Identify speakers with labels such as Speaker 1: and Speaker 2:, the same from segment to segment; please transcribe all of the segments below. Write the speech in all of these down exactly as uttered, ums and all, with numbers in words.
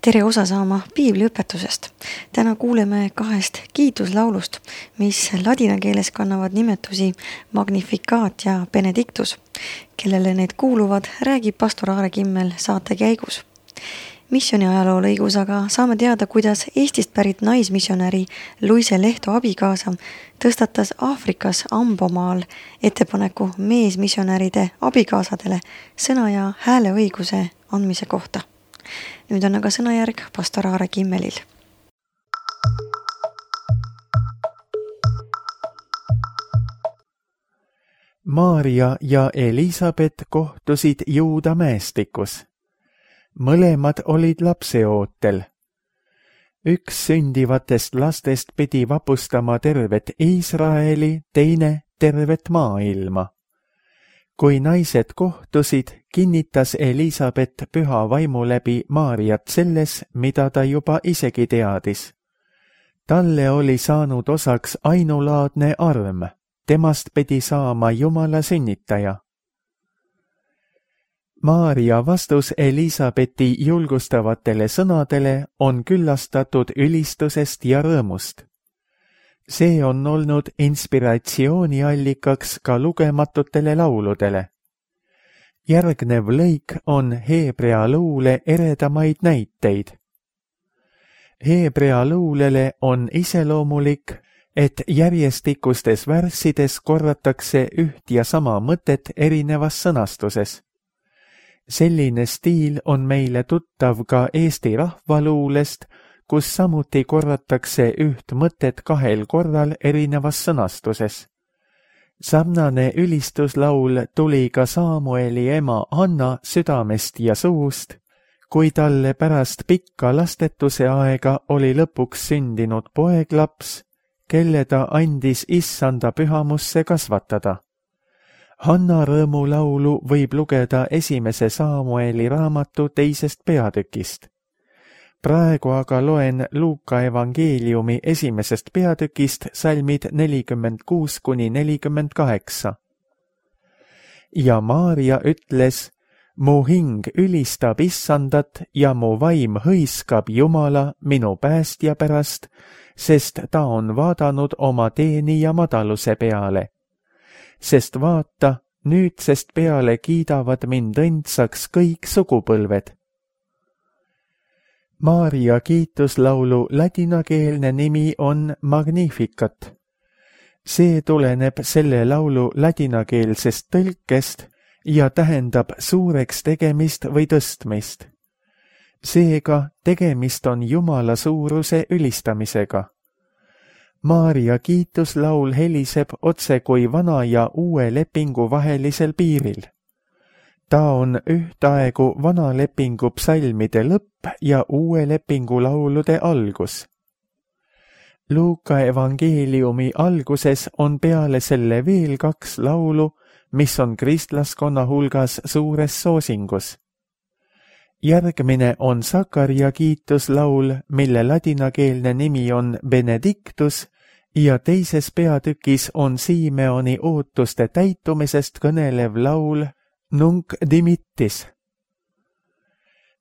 Speaker 1: Tere osa saama piibliõpetusest. Täna kuuleme kahest kiituslaulust, mis ladina keeles kannavad nimetusi Magnificat ja Benedictus. Kellele need kuuluvad, räägib pastor Aare Kimmel saate käigus. Missioni ajaloo lõigus aga saame teada, kuidas Eestist pärit naismissionäri Luise Lehto abikaasa tõstatas Aafrikas Ambomaal ettepaneku meesmissionäride abikaasadele sõna ja hääleõiguse andmise kohta. Nüüd on aga sõnajärg pastor Aare Kimmelil.
Speaker 2: Maaria ja Elisabet kohtusid Juuda mäestikus. Mõlemad olid lapseootel. Üks sündivatest lastest pidi vapustama tervet Iisraeli, teine tervet maailma. Kui naised kohtusid, kinnitas Elisabet püha vaimu läbi Maariat selles, mida ta juba isegi teadis. Talle oli saanud osaks ainulaadne arm, temast pidi saama Jumala sünnitaja. Maaria vastus Elisabeti julgustavatele sõnadele on küllastatud ülistusest ja rõõmust. See on olnud inspiratsiooniallikaks ka lugematutele lauludele. Järgnev lõik on Heebrea luule eredamaid näiteid. Heebrea luulele on iseloomulik, et järjestikustes värssides korratakse üht ja sama mõtet erinevas sõnastuses. Selline stiil on meile tuttav ka Eesti rahvaluulest, kus samuti korratakse üht mõtet kahel korral erinevas sõnastuses. Sarnane ülistuslaul tuli ka Saamueli ema Anna südamest ja suust, kui talle pärast pikka lastetuse aega oli lõpuks sündinud poeglaps, kelle ta andis issanda pühamusse kasvatada. Hanna rõõmulaulu võib lugeda esimese Saamueli raamatu teisest peatükist. Praegu aga loen Luuka evangeeliumi esimesest peatükist salmid nelikümmend kuus kuni nelikümmend kaheksa. Ja Maaria ütles, mu hing ülistab issandat ja mu vaim hõiskab Jumala minu päästja pärast, sest ta on vaadanud oma teenija madaluse peale. Sest vaata, nüüdsest peale kiidavad mind õndsaks kõik sugupõlved. Maaria kiituslaulu ladinakeelne nimi on Magnificat. See tuleneb selle laulu ladinakeelsest tõlkest ja tähendab suureks tegemist või tõstmist. Seega tegemist on Jumala suuruse ülistamisega. Maaria kiituslaul heliseb otse kui vana ja uue lepingu vahelisel piiril. Ta on ühtaegu vana lepingu psalmide lõpp ja uue lepingu laulude algus. Luuka evangeeliumi alguses on peale selle veel kaks laulu, mis on kristlaskonna hulgas suures soosingus. Järgmine on Sakaria kiituslaul, mille ladinakeelne nimi on Benedictus, ja teises peatükis on Simeoni ootuste täitumisest kõnelev laul Nunc dimittis.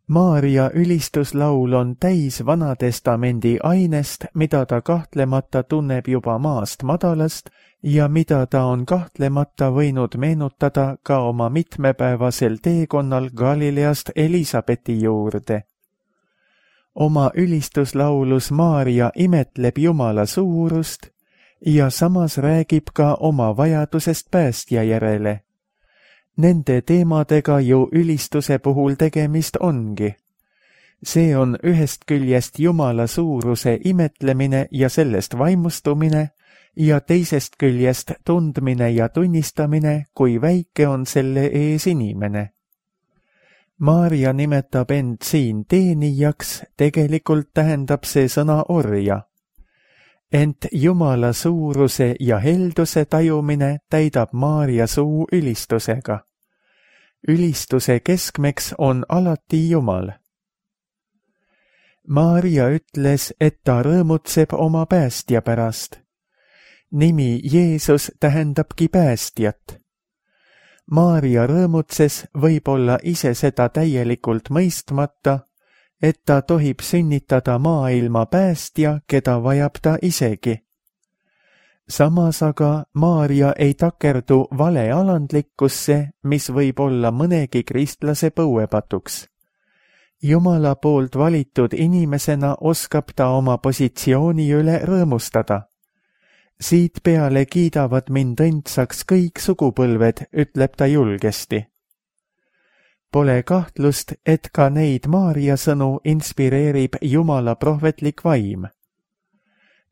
Speaker 2: Maaria ülistuslaul on täis Vanatestamendi ainest, mida ta kahtlemata tunneb juba maast madalast ja mida ta on kahtlemata võinud meenutada ka oma mitmepäevasel teekonnal Galileast Elisabeti juurde. Oma ülistuslaulus Maaria imetleb Jumala suurust ja samas räägib ka oma vajadusest päästja järele. Nende teemadega ju ülistuse puhul tegemist ongi. See on ühest küljest Jumala suuruse imetlemine ja sellest vaimustumine ja teisest küljest tundmine ja tunnistamine, kui väike on selle ees inimene. Maaria nimetab end siin teenijaks, tegelikult tähendab see sõna orja. Ent Jumala suuruse ja helduse tajumine täidab Maaria suu ülistusega. Ülistuse keskmeks on alati Jumal. Maaria ütles, et ta rõõmutseb oma päästja pärast. Nimi Jeesus tähendabki päästjat. Maaria rõõmutses võib-olla ise seda täielikult mõistmata, et ta tohib sünnitada maailma päästja, keda vajab ta isegi. Samas aga Maarja ei takerdu valealandlikkusse, mis võib olla mõnegi kristlase põuepatuks. Jumala poolt valitud inimesena oskab ta oma positsiooni üle rõõmustada. Siit peale kiidavad mind õndsaks kõik sugupõlved, ütleb ta julgesti. Pole kahtlust, et ka neid Maarja sõnu inspireerib Jumala prohvetlik vaim.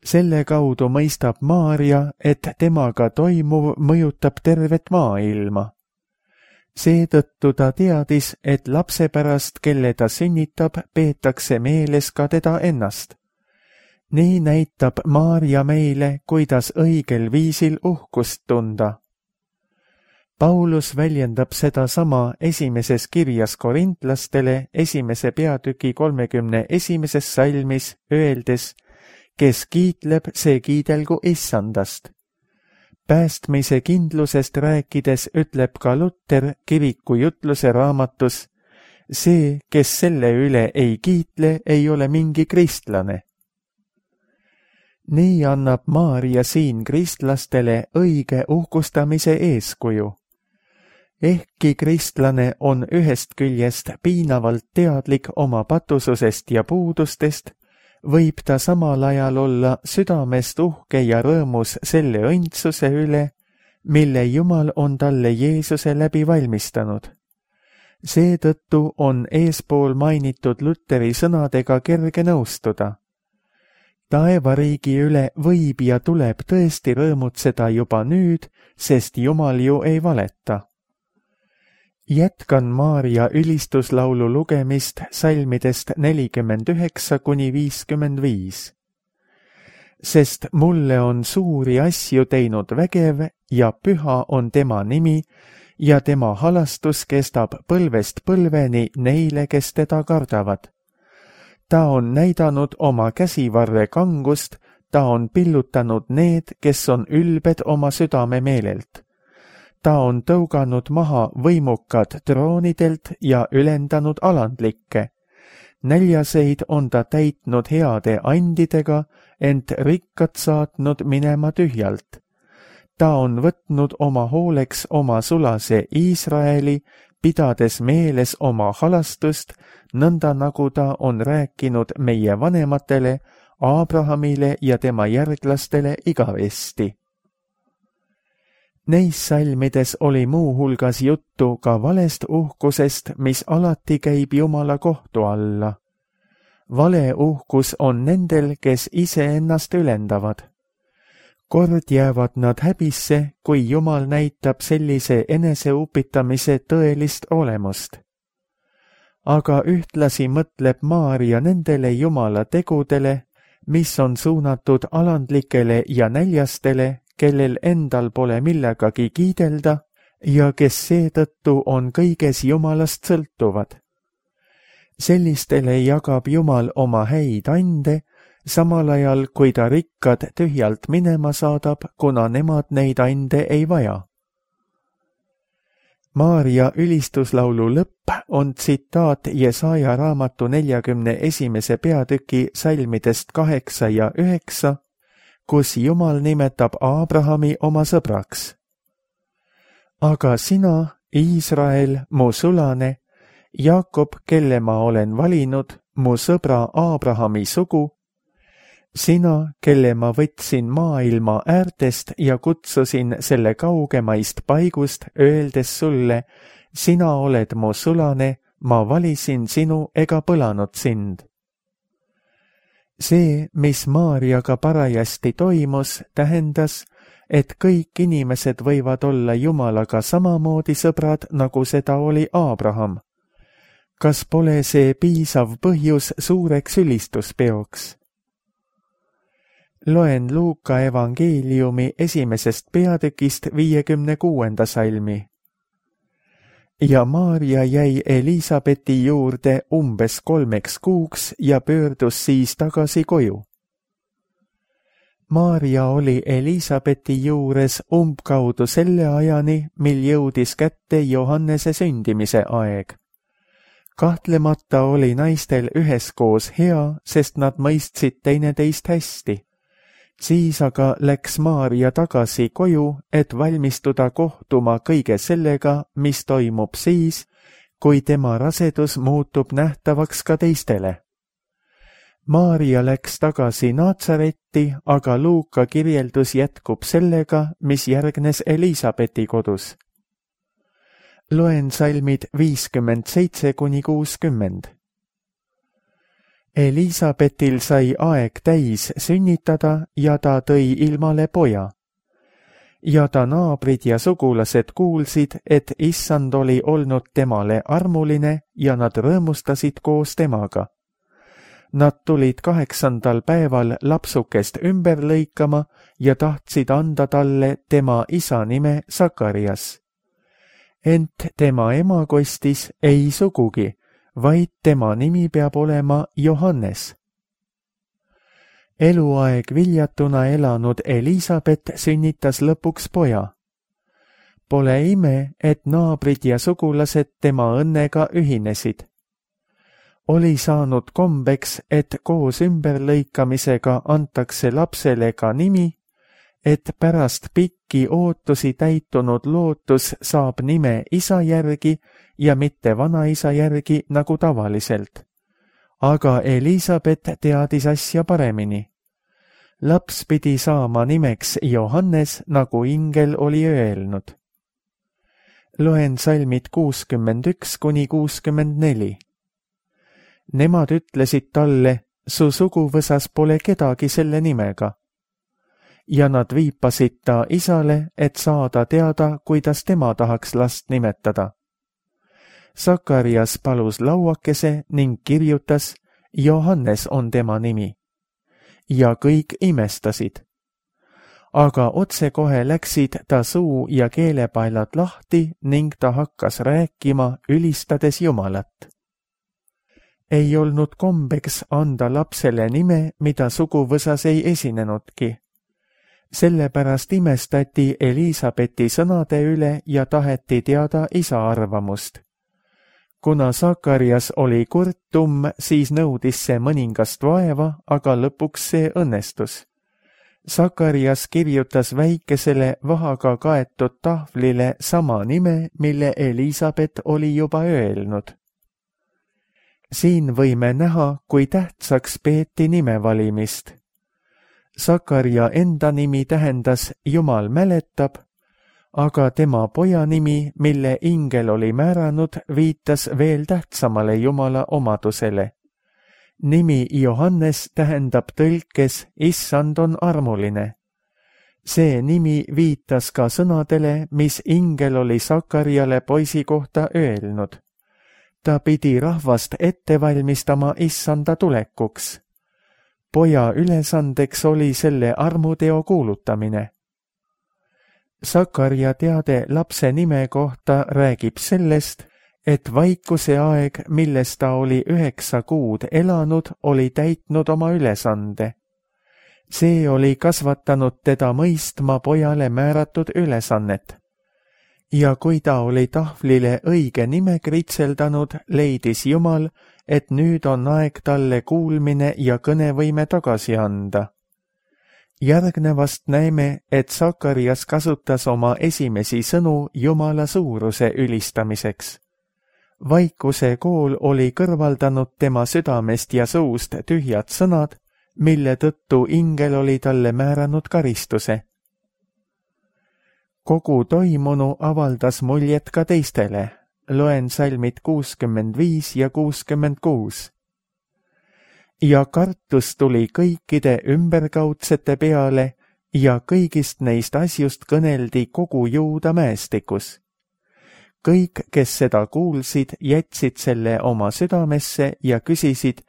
Speaker 2: Selle kaudu mõistab Maarja, et temaga toimuv mõjutab tervet maailma. Seetõttu ta teadis, et lapse pärast, kelle ta sünnitab, peetakse meeles ka teda ennast. Nii näitab Maarja meile, kuidas õigel viisil uhkust tunda. Paulus väljendab seda sama esimeses kirjas korintlastele esimese peatüki kolmekümne esimeses salmis, öeldes, kes kiitleb, see kiidelgu issandast. Päästmise kindlusest rääkides ütleb ka Luter kiriku jutluse raamatus, see, kes selle üle ei kiitle, ei ole mingi kristlane. Nii annab Maarja siin kristlastele õige uhkustamise eeskuju. Ehkki kristlane on ühest küljest piinavalt teadlik oma patususest ja puudustest, võib ta samal ajal olla südamest uhke ja rõõmus selle õndsuse üle, mille Jumal on talle Jeesuse läbi valmistanud. Seetõttu on eespool mainitud Luteri sõnadega kerge nõustuda. Taevariigi üle võib ja tuleb tõesti rõõmutseda juba nüüd, sest Jumal ju ei valeta. Jätkan Maarja ülistuslaulu lugemist salmidest nelikümmend üheksa kuni viiskümmend viis. Sest mulle on suuri asju teinud vägev ja püha on tema nimi ja tema halastus kestab põlvest põlveni neile, kes teda kardavad. Ta on näidanud oma käsivarre kangust, ta on pillutanud need, kes on ülbed oma südame meelelt. Ta on tõuganud maha võimukad troonidelt ja ülendanud alandlikke. Näljaseid on ta täitnud heade andidega, ent rikkad saatnud minema tühjalt. Ta on võtnud oma hooleks oma sulase Iisraeli, pidades meeles oma halastust, nõnda nagu ta on rääkinud meie vanematele, Abrahamile ja tema järglastele igavesti. Neis salmides oli muu hulgas juttu ka valest uhkusest, mis alati käib Jumala kohtu alla. Vale uhkus on nendel, kes iseennast ülendavad. Kord jäävad nad häbisse, kui Jumal näitab sellise eneseupitamise tõelist olemust. Aga ühtlasi mõtleb Maarja nendele Jumala tegudele, mis on suunatud alandlikele ja näljastele, kellel endal pole millegagi kiidelda ja kes seetõttu on kõiges Jumalast sõltuvad. Sellistele jagab Jumal oma häid ande, samal ajal kui ta rikkad tühjalt minema saadab, kuna nemad neid ande ei vaja. Maarja ülistuslaulu lõpp on tsitaat Jesaja raamatu neljakümne esimese peatüki salmidest kaheksa ja üheksa, kus Jumal nimetab Abrahami oma sõbraks. Aga sina, Iisrael, mu sulane, Jaakob, kelle ma olen valinud, mu sõbra Abrahami sugu, sina, kelle ma võtsin maailma äärtest ja kutsusin selle kaugemaist paigust, öeldes sulle, sina oled mu sulane, ma valisin sinu ega põlanud sind. See, mis Maarjaga parajasti toimus, tähendas, et kõik inimesed võivad olla Jumalaga samamoodi sõbrad, nagu seda oli Abraham. Kas pole see piisav põhjus suureks ülistuspeoks? Loen Luuka evangeeliumi esimesest peatükist viiekümne kuuenda salmi. Ja Maarja jäi Elisabeti juurde umbes kolmeks kuuks ja pöördus siis tagasi koju. Maarja oli Elisabeti juures umbkaudu selle ajani, mil jõudis kätte Johannese sündimise aeg. kahtlemata oli naistel üheskoos hea, sest nad mõistsid teineteist hästi. Siis aga läks Maarja tagasi koju, et valmistuda kohtuma kõige sellega, mis toimub siis, kui tema rasedus muutub nähtavaks ka teistele. Maarja läks tagasi Naatsaretti, aga Luuka kirjeldus jätkub sellega, mis järgnes Eliisabeti kodus. Loen salmid viiskümmend seitse kuni kuuskümmend. Eliisabetil sai aeg täis sünnitada ja ta tõi ilmale poja. Ja ta naabrid ja sugulased kuulsid, et issand oli olnud temale armuline ja nad rõõmustasid koos temaga. Nad tulid kaheksandal päeval lapsukest ümber lõikama ja tahtsid anda talle tema isa nime Sakarias. Ent tema ema kostis ei sugugi, vaid tema nimi peab olema Johannes. Eluaeg viljatuna elanud Eliisabet sünnitas lõpuks poja. Pole ime, et naabrid ja sugulased tema õnnega ühinesid. Oli saanud kombeks, et koos ümberlõikamisega antakse lapsele ka nimi, et pärast pikki ootusi täitunud lootus saab nime isa järgi ja mitte vanaisa järgi nagu tavaliselt. Aga Eliisabet teadis asja paremini. Laps pidi saama nimeks Johannes, nagu ingel oli öelnud. Loen salmid kuuskümmend üks kuni kuuskümmend neli. Nemad ütlesid talle, su suguvõsas pole kedagi selle nimega. Ja nad viipasid ta isale, et saada teada, kuidas tema tahaks last nimetada. Sakarias palus lauakese ning kirjutas, Johannes on tema nimi. Ja kõik imestasid. Aga otsekohe läksid ta suu ja keelepaelad lahti ning ta hakkas rääkima, ülistades Jumalat. Ei olnud kombeks anda lapsele nime, mida suguvõsas ei esinenudki. Sellepärast imestati Eliisabeti sõnade üle ja taheti teada isa arvamust. Kuna Sakarias oli kurtum, siis nõudis see mõningast vaeva, aga lõpuks see õnnestus. Sakarias kirjutas väikesele vahaga kaetud tahvlile sama nime, mille Eliisabet oli juba öelnud. Siin võime näha, kui tähtsaks peeti nime valimist. Sakaria enda nimi tähendas Jumal mäletab, aga tema poja nimi, mille ingel oli määranud, viitas veel tähtsamale Jumala omadusele. Nimi Johannes tähendab tõlkes issand on armuline. See nimi viitas ka sõnadele, mis ingel oli Sakariale poisi kohta öelnud. Ta pidi rahvast ette valmistama issanda tulekuks. Poja ülesandeks oli selle armuteo kuulutamine. Sakaria teade lapse nime kohta räägib sellest, et vaikuse aeg, milles ta oli üheksa kuud elanud, oli täitnud oma ülesande. See oli kasvatanud teda mõistma pojale määratud ülesannet. Ja kui ta oli tahvlile õige nime kritseldanud, leidis Jumal, et nüüd on aeg talle kuulmine ja kõnevõime tagasi anda. Järgnevast näeme, et Sakarias kasutas oma esimesi sõnu Jumala suuruse ülistamiseks. Vaikuse kool oli kõrvaldanud tema südamest ja suust tühjad sõnad, mille tõttu ingel oli talle määranud karistuse. Kogu toimunu avaldas muljet ka teistele. Loen salmid kuuskümmend viis ja kuuskümmend kuus. Ja kartus tuli kõikide ümberkaudsete peale ja kõigist neist asjust kõneldi kogu Juuda mäestikus. Kõik, kes seda kuulsid, jätsid selle oma südamesse ja küsisid,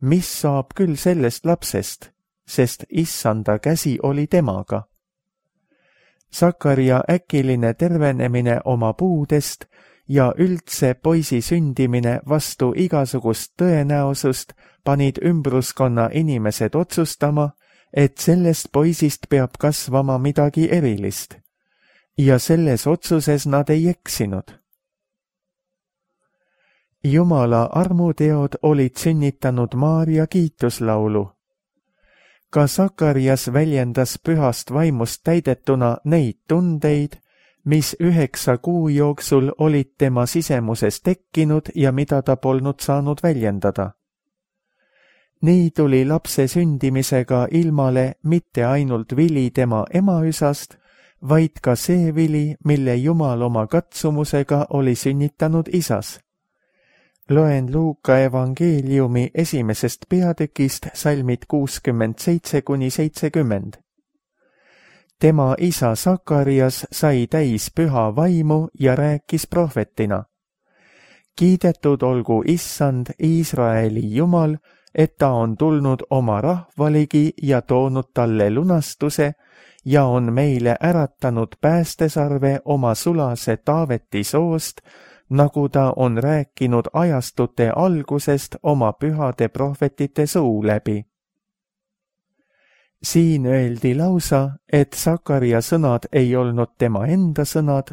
Speaker 2: mis saab küll sellest lapsest, sest issanda käsi oli temaga. Sakaria äkiline tervenemine oma puudest ja üldse poisi sündimine vastu igasugust tõenäosust panid ümbruskonna inimesed otsustama, et sellest poisist peab kasvama midagi erilist. Ja selles otsuses nad ei eksinud. Jumala armuteod olid sünnitanud Maarja kiituslaulu. Ka Sakarias väljendas pühast vaimust täidetuna neid tundeid, mis üheksa kuu jooksul olid tema sisemuses tekkinud ja mida ta polnud saanud väljendada. Nii tuli lapse sündimisega ilmale mitte ainult vili tema emaüsast, vaid ka see vili, mille Jumal oma katsumusega oli sünnitanud isas. Loen Luuka evangeeliumi esimesest peatükist salmid kuuskümmend seitse kuni seitsekümmend. Tema isa Sakarias sai täis püha vaimu ja rääkis prohvetina. Kiidetud olgu Issand, Iisraeli Jumal, et ta on tulnud oma rahvaligi ja toonud talle lunastuse ja on meile äratanud päästesarve oma sulase Taaveti soost, nagu ta on rääkinud ajastute algusest oma pühade prohvetite suu läbi. Siin öeldi lausa, et Sakaria sõnad ei olnud tema enda sõnad,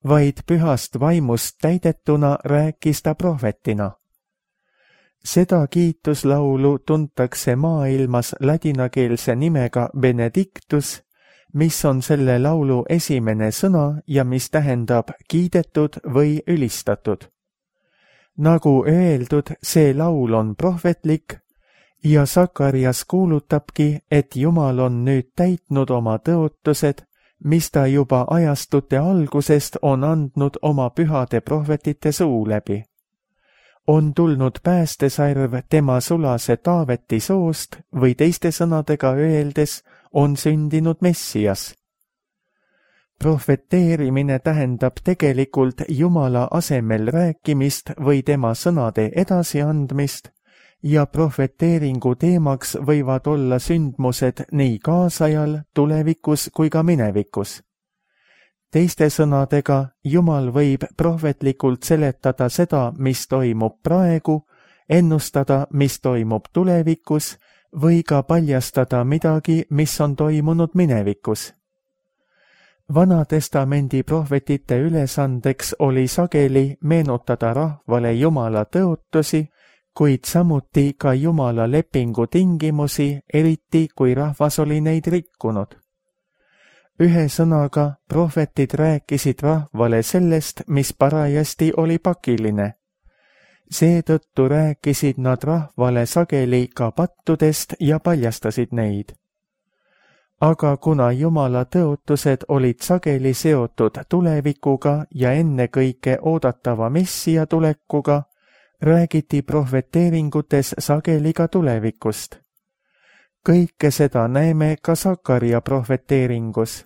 Speaker 2: vaid pühast vaimust täidetuna rääkis ta prohvetina. Seda kiituslaulu tuntakse maailmas ladinakeelse nimega Benedictus, mis on selle laulu esimene sõna ja mis tähendab kiidetud või ülistatud. Nagu öeldud, see laul on prohvetlik ja Sakarias kuulutabki, et Jumal on nüüd täitnud oma tõotused, mis ta juba ajastute algusest on andnud oma pühade prohvetite suu läbi. On tulnud päästesarv tema sulase Taaveti soost või teiste sõnadega öeldes on sündinud Messias. Prohveteerimine tähendab tegelikult Jumala asemel rääkimist või tema sõnade edasiandmist ja prohveteeringu teemaks võivad olla sündmused nii kaasajal, tulevikus kui ka minevikus. Teiste sõnadega, Jumal võib prohvetlikult seletada seda, mis toimub praegu, ennustada, mis toimub tulevikus või ka paljastada midagi, mis on toimunud minevikus. Vanatestamendi prohvetite ülesandeks oli sageli meenutada rahvale Jumala tõotusi, kuid samuti ka Jumala lepingu tingimusi, eriti kui rahvas oli neid rikkunud. Ühe sõnaga prohvetid rääkisid rahvale sellest, mis parajasti oli pakiline. Seetõttu rääkisid nad rahvale sageli ka pattudest ja paljastasid neid. Aga kuna Jumala tõotused olid sageli seotud tulevikuga ja ennekõike oodatava Messia tulekuga, räägiti prohveteeringutes sageli ka tulevikust. Kõike seda näeme ka Sakaria prohveteeringus.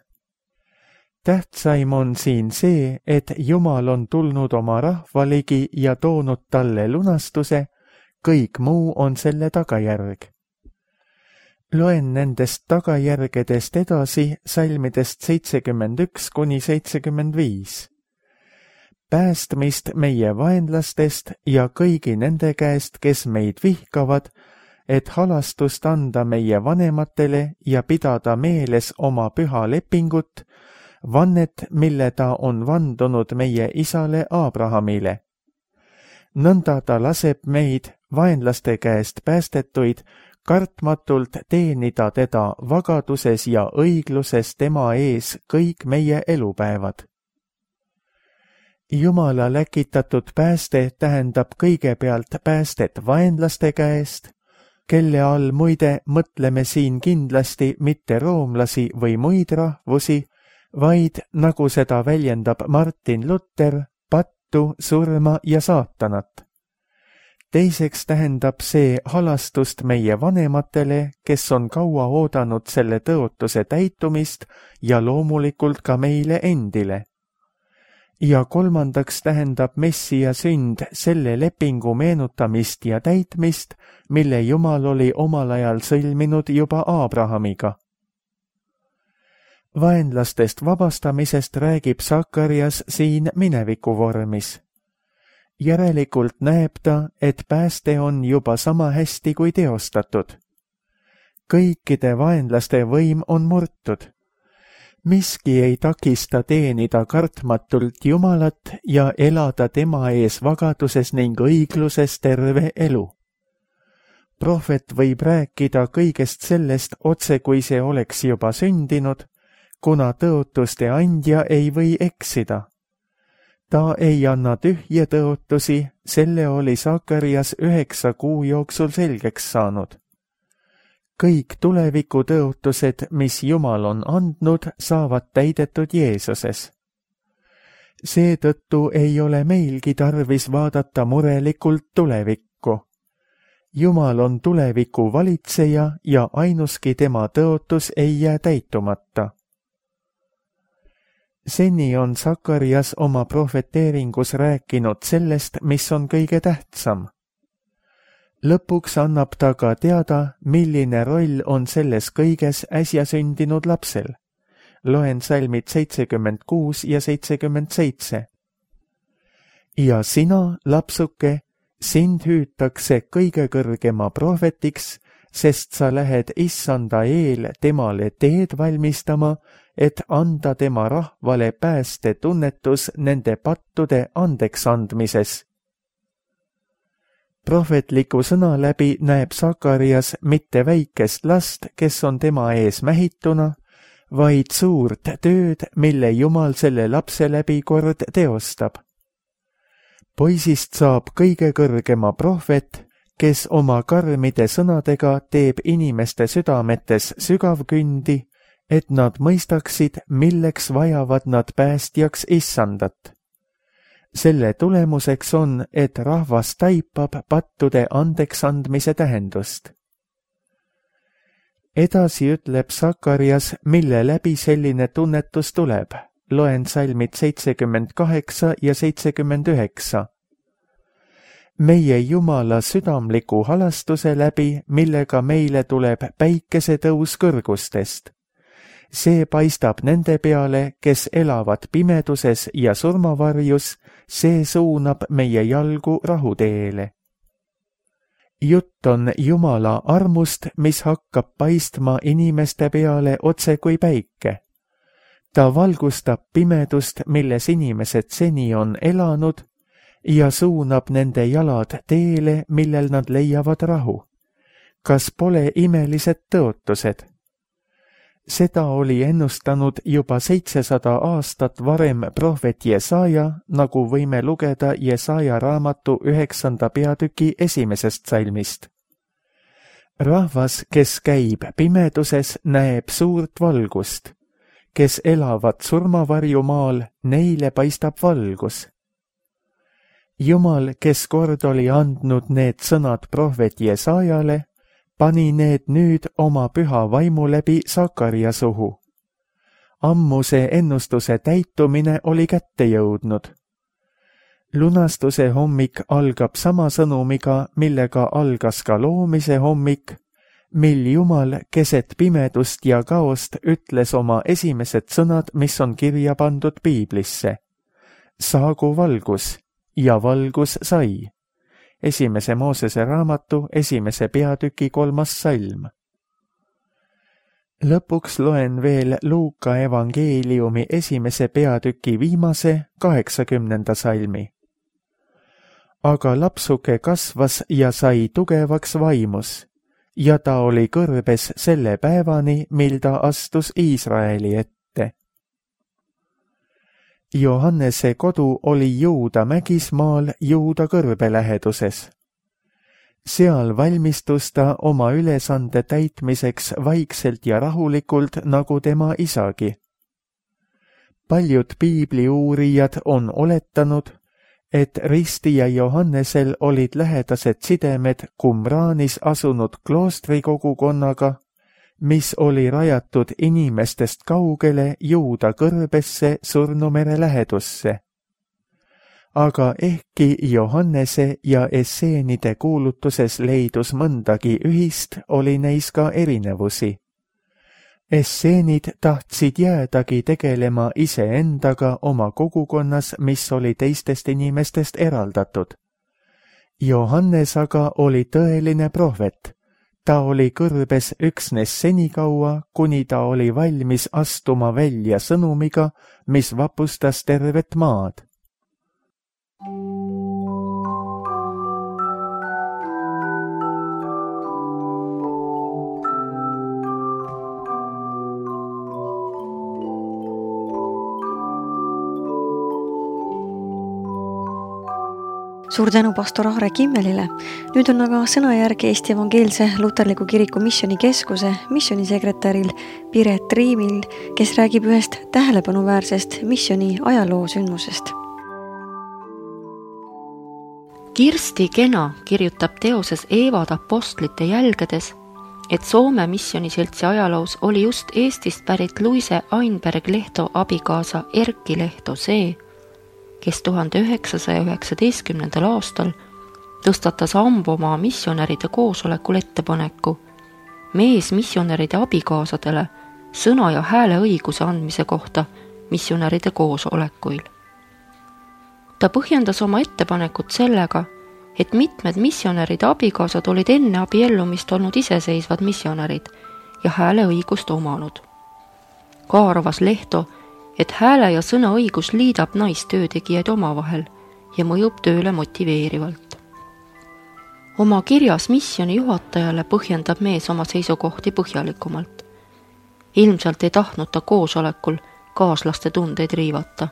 Speaker 2: Tähtsaim on siin see, et Jumal on tulnud oma rahvaligi ja toonud talle lunastuse, kõik muu on selle tagajärg. Loen nendest tagajärgedest edasi salmidest seitsekümmend üks kuni seitsekümmend viis. Päästmist meie vaenlastest ja kõigi nende käest, kes meid vihkavad, et halastust anda meie vanematele ja pidada meeles oma püha lepingut, vannet, mille ta on vandunud meie isale Abrahamile. Nõnda ta laseb meid, vaenlaste käest päästetuid, kartmatult teenida teda vagaduses ja õigluses tema ees kõik meie elupäevad. Jumala läkitatud pääste tähendab kõigepealt päästet vaenlaste käest, kelle all muide mõtleme siin kindlasti mitte roomlasi või muid rahvusi, vaid, nagu seda väljendab Martin Luther, pattu, surma ja saatanat. Teiseks tähendab see halastust meie vanematele, kes on kaua oodanud selle tõotuse täitumist ja loomulikult ka meile endile. Ja kolmandaks tähendab Messia sünd selle lepingu meenutamist ja täitmist, mille Jumal oli omal ajal sõlminud juba Abrahamiga. Vaenlastest vabastamisest räägib Sakarias siin mineviku vormis. Järelikult näeb ta, et pääste on juba sama hästi kui teostatud. Kõikide vaenlaste võim on murtud. miski ei takista teenida kartmatult Jumalat ja elada tema ees vagaduses ning õigluses terve elu. Prohvet võib rääkida kõigest sellest otse, kui see oleks juba sündinud, kuna tõotuste andja ei või eksida. Ta ei anna tühje tõotusi, selle oli Sakarias üheksa kuu jooksul selgeks saanud. Kõik tuleviku tõotused, mis Jumal on andnud, saavad täidetud Jeesuses. Seetõttu ei ole meilgi tarvis vaadata murelikult tulevikku. Jumal on tuleviku valitseja ja ainuski tema tõotus ei jää täitumata. Seni on Sakarias oma prohveteeringus rääkinud sellest, mis on kõige tähtsam. Lõpuks annab ta ka teada, milline roll on selles kõiges äsja sündinud lapsel. Loen salmid seitsekümmend kuus ja seitsekümmend seitse. Ja sina, lapsuke, sind hüütakse kõige kõrgema prohvetiks, sest sa lähed issanda eel temale teed valmistama, et anda tema rahvale pääste tunnetus nende pattude andeks andmises. Prohvetliku sõna läbi näeb Sakarias mitte väikest last, kes on tema ees mähituna, vaid suurt tööd, mille Jumal selle lapse läbi kord teostab. Poisist saab kõige kõrgema prohvet, kes oma karmide sõnadega teeb inimeste südametes sügavkündi, et nad mõistaksid, milleks vajavad nad päästjaks issandat. Selle tulemuseks on, et rahvas taipab pattude andeksandmise tähendust. Edasi ütleb Sakarias, mille läbi selline tunnetus tuleb. Loen salmid seitsekümmend kaheksa ja seitsekümmend üheksa. Meie Jumala südamliku halastuse läbi, millega meile tuleb päikesetõus kõrgustest. See paistab nende peale, kes elavad pimeduses ja surmavarjus, see suunab meie jalgu rahuteele. Jutt on Jumala armust, mis hakkab paistma inimeste peale otse kui päike. Ta valgustab pimedust, milles inimesed seni on elanud, ja suunab nende jalad teele, millel nad leiavad rahu. Kas pole imelised tõotused? Seda oli ennustanud juba seitsesada aastat varem prohvet Jesaja, nagu võime lugeda Jesaja raamatu üheksanda peatüki esimesest salmist. Rahvas, kes käib pimeduses, näeb suurt valgust. Kes elavad surmavarjumaal, neile paistab valgus. Jumal, kes kord oli andnud need sõnad prohvet Jesajale, pani need nüüd oma püha vaimu läbi Sakaria suhu. Ammu see ennustuse täitumine oli kätte jõudnud. Lunastuse hommik algab sama sõnumiga, millega algas ka loomise hommik, mil Jumal keset pimedust ja kaost ütles oma esimesed sõnad, mis on kirja pandud piiblisse. Saagu valgus, ja valgus sai. Esimese Moosese raamatu esimese peatüki kolmas salm. Lõpuks loen veel Luuka evangeeliumi esimese peatüki viimase kaheksakümnenda salmi. Aga lapsuke kasvas ja sai tugevaks vaimus, ja ta oli kõrbes selle päevani, mil ta astus Iisraeli ette. Johannese kodu oli Juuda mägismaal Juuda kõrbe läheduses. Seal valmistus ta oma ülesande täitmiseks vaikselt ja rahulikult, nagu tema isagi. Paljud piibliuurijad on oletanud, et ristija Johannesel olid lähedased sidemed Qumranis asunud kloostrikogukonnaga, mis oli rajatud inimestest kaugele Juuda kõrbesse Surnumere lähedusse. Aga ehkki Johannese ja esseenide kuulutuses leidus mõndagi ühist, oli neis ka erinevusi. Esseenid tahtsid jäädagi tegelema iseendaga oma kogukonnas, mis oli teistest inimestest eraldatud. Johannes aga oli tõeline prohvet. ta oli kõrbes üksnes senikaua, kuni ta oli valmis astuma välja sõnumiga, mis vapustas tervet maad.
Speaker 1: Suur tänu pastor Aare Kimmelile. Nüüd on aga sõnajärg Eesti Evangeelse Luterliku Kiriku Missioonikeskuse missionisekretäril Piret Triimil, kes räägib ühest tähelepanuväärsest missiooni ajaloosündmusest.
Speaker 3: Kirsti Kena kirjutab teoses Eevad apostlite jälgedes, et Soome missioniseltsi ajaloos oli just Eestist pärit Luise Ainberg Lehto abikaasa Erki Lehto see, kes tuhande üheksasaja üheksateistkümnendal aastal tõstatas Ambomaa missionäride koosolekul ettepaneku mees missionäride abikaasadele sõna ja hääle õiguse andmise kohta missionäride koosolekuil. Ta põhjendas oma ettepanekut sellega, et mitmed missionäride abikaasad olid enne abiellumist olnud iseseisvad missionärid ja hääle õigust omanud. Ka arvas Lehto, et hääle ja sõna õigus liidab naistöötegijaid omavahel ja mõjub tööle motiveerivalt. Oma kirjas missioni juhatajale põhjendab mees oma seisukohti põhjalikumalt. Ilmselt ei tahtnud ta koosolekul kaaslaste tundeid riivata.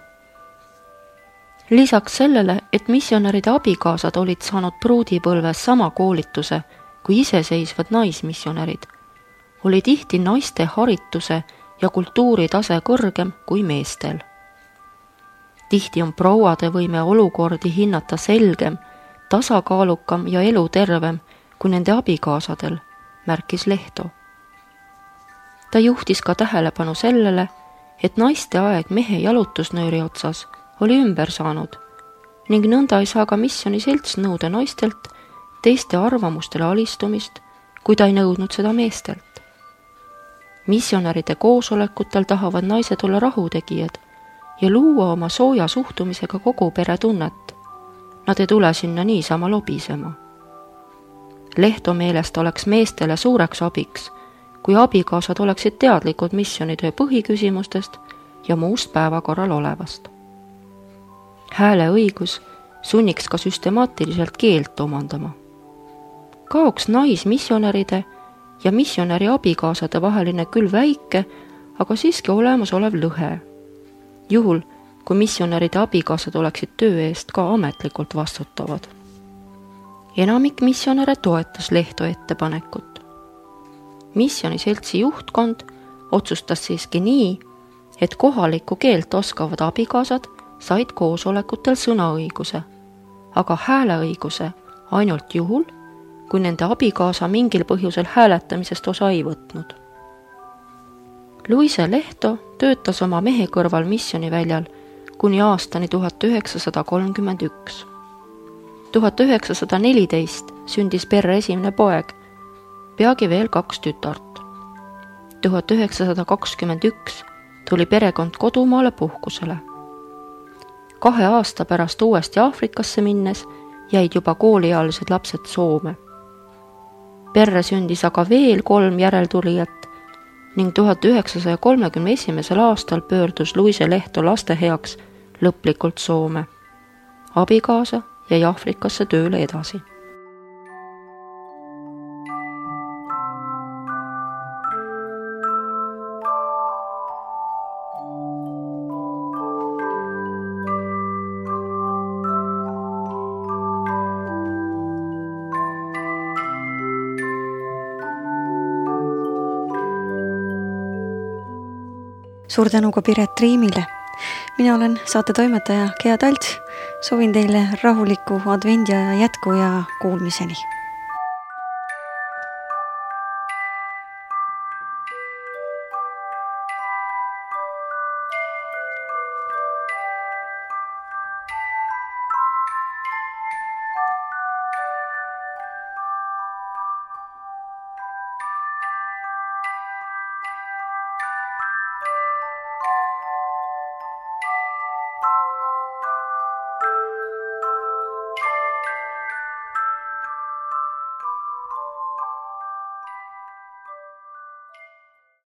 Speaker 3: Lisaks sellele, et missionäride abikaasad olid saanud pruudipõlves sama koolituse kui iseseisvad naismissionärid, oli tihti naiste harituse ja kultuuritase kõrgem kui meestel. Tihti on prouade võime olukordi hinnata selgem, tasakaalukam ja elutervem kui nende abikaasadel, märkis Lehto. Ta juhtis ka tähelepanu sellele, et naiste aeg mehe jalutusnööri otsas oli ümber saanud ning nõnda ei saa ka missioniselts nõuda naistelt teiste arvamustele alistumist, kui ta ei nõudnud seda meestelt. Missionäride koosolekutel tahavad naised olla rahutegijad ja luua oma sooja suhtumisega kogu pere tunnet. Nad ei tule sinna niisama lobisema. Lehto meelest oleks meestele suureks abiks, kui abikaasad oleksid teadlikud missionitöö põhiküsimustest ja muust päevakorral olevast. Hääle õigus sunniks ka süstemaatiliselt keelt omandama. Kaoks naismissionäride ja missionäri abikaasade vaheline küll väike, aga siiski olemasolev lõhe. Juhul, kui missionäride abikaasad oleksid töö eest ka ametlikult vastutavad. Enamik missionäre toetas Lehto ettepanekut. Missioniseltsi juhtkond otsustas siiski nii, et kohalikku keelt oskavad abikaasad said koosolekutel sõnaõiguse, aga hääleõiguse ainult juhul, kui nende abikaasa mingil põhjusel hääletamisest osa ei võtnud. Luise Lehto töötas oma mehe kõrval missioniväljal kuni aastani tuhat üheksasada kolmkümmend üks. tuhat üheksasada neliteist sündis perre esimene poeg, peagi veel kaks tütart. tuhat üheksasada kakskümmend üks tuli perekond kodumaale puhkusele. Kahe aasta pärast uuesti Aafrikasse minnes jäid juba kooliealised lapsed Soome. Perre sündis aga veel kolm järeltulijat ning tuhat üheksasaja kolmekümne esimesel aastal pöördus Luise Lehto laste heaks lõplikult Soome. Abikaasa jäi Aafrikasse tööle edasi.
Speaker 1: Suur tänu ka Piret Triimile. Mina olen saate toimetaja Gea Talts. Soovin teile rahulikku advendiaja jätku ja kuulmiseni.